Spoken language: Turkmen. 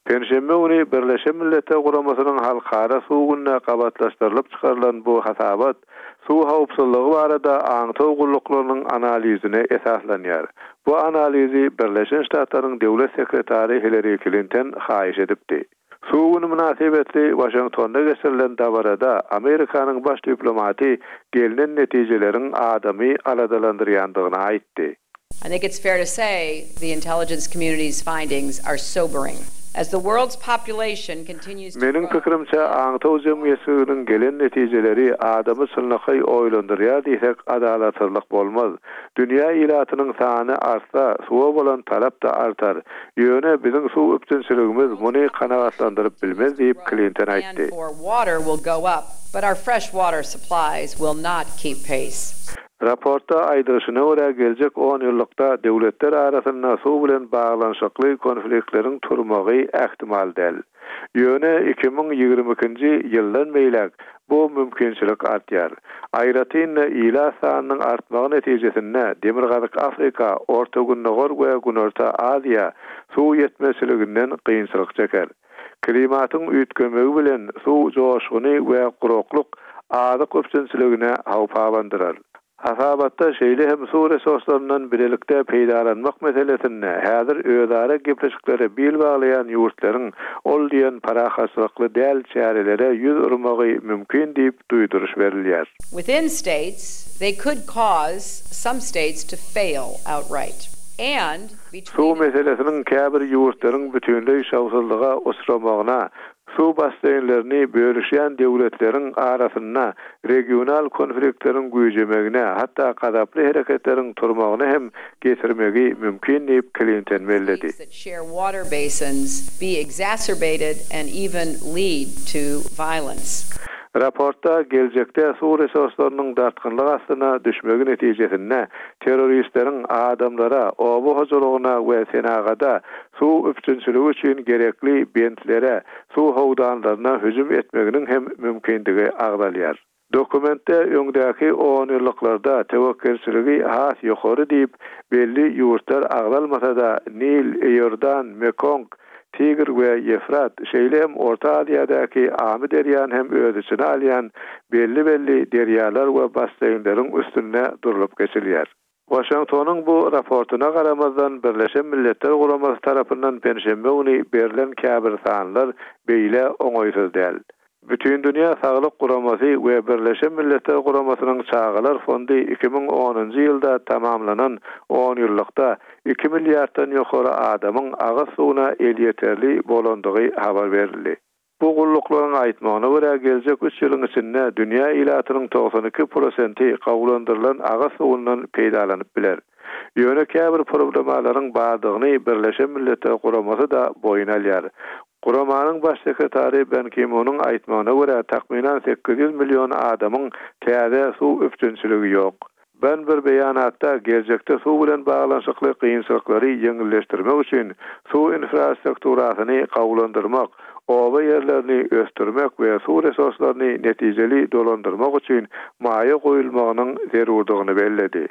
Penşenbe güni Birleşen Milletler Guramasynyň Halkara suw gününe gabatlaşdyrylyp çykarylan bu hasabat suw howpsuzlygy barada aňtaw gulluklarynyň analizine esaslanýar. Bu analizi Birleşen Ştatlaryň Döwlet sekretary Hillari Klinton haýyş edipdi. Suw güni mynasybetli Waşingtonda geçirilen dabarada Amerikanyň baş diplomaty gelnen netijeleriň adamy aladalandyrýandygyny aýtdy. I think it's fair to say the intelligence community's findings are sobering. As the world's population continues to Meniň grow, pikirimçe, aňtaw jemgyýetçiliginiň gelen netijeleri adamy çynlakaý oýlandyrýar diýsek adalatsyzlyk bolmaz. Dünýä ilatynyň sany artsa, suwa bolan talap-da artar. Ýöne biziň suw üpjünçiligimiz muny kanagatlandyryp bilmez diýip, Klinton aýtdy. Raportda aýdylyşyna görä, geljek onýyllykda döwletler arasynda suw bilen baglanyşykly konfliktleriň turmagy ähtimal däl. Ýöne 2022-nji ýyldan beýläk bu mümkinçilik artýar. Aýratyn-da, ilat sanynyň artmagy netijesinde Demirgazyk Afrika, Orta Gündogar we Günorta Aziýa suw ýetmezçiliginden kynçylyk çeker. Klimatyň üýtgemegi bilen suw joşguny we guraklyk azyk üpjünçiligine howp abandyrar. Hasabatda şeýle hem suw resurslaryndan bilelikde peýdalanmak meselesinde häzir özara gepleşiklere bil baglaýan ýurtlaryň ol diýen parahatçylykly däl çärelere ýüz urmagy mümkin diýip duýduryş berilýär. Within states, they could cause some states to fail outright and between. Suw meselesiniň käbir ýurtlaryň bütinleý şowsuzlyga uçramagyna Suw basseýnlerini bölüşýän döwletleriň arasynda regional konfliktleriň güýjemegine, hatda gazaply hereketleriň turmagyna hem getirmegi mümkin diýip, Klinton belledi. Raportda geljekde suw resurslarynyň dartgynlyk astyna düşmegi netijesinde terroristleriň adamlara, oba hojalygyna we senagada suw üpjünçiligi üçin gerekli bentlere, suw howdanlaryna hüjüm etmeginiň hem mümkindigi agzalýar. Dokumentde öňdäki onýyllyklarda töwekgelçiligi has ýokary diýip, belli ýurtlar agzalmasa-da, Nil, Iordan, Mekong, Tigr we Ýefrat, şeýle hem Orta Aziýadaky Amy derýany hem öz içine alýan belli-belli derýalar we basseýnleriň üstünde durlup geçilýär. Waşingtonyň bu raportyna garamazdan, Birleşen Milletler Guramasy tarapyndan penşenbe güni berlen käbir sanlar beýle oňaýsyz däl. Bütindünýä Saglyk Guramasy we Birleşen Milletler Guramasynyň Çagalar fondy 2010-njy ýylda tamamlanan onýyllykda iki milliarddan ýokary adamyň agyz suwuna elýeterli bolandygy habar berildi. Bu gulluklaryň aýtmagyna görä, geljek üç ýylyň içinde dünýä ilatynyň 92 prosenti gowulandyrylan agyz suwundan peýdalanyp biler. Ýöne käbir problemalaryň bardygyny Birleşen Milletler Guramasy-da boýun alýar. Guramanyň Baş sekretary Ban Ki-munyň aýtmagyna görä, takmynan 800 million adamyň täze suw üpjünçiligi ýok. Ban bir beýanatda geljekde suw bilen baglanyşykly kynçylyklary ýeňilleşdirmek üçin suw infrastrukturasyny gowulandyrmak, oba ýerlerini ösdürmek we suw resurslaryny netijeli dolandyrmak üçin maýa goýulmagynyň zerurdygyny belledi.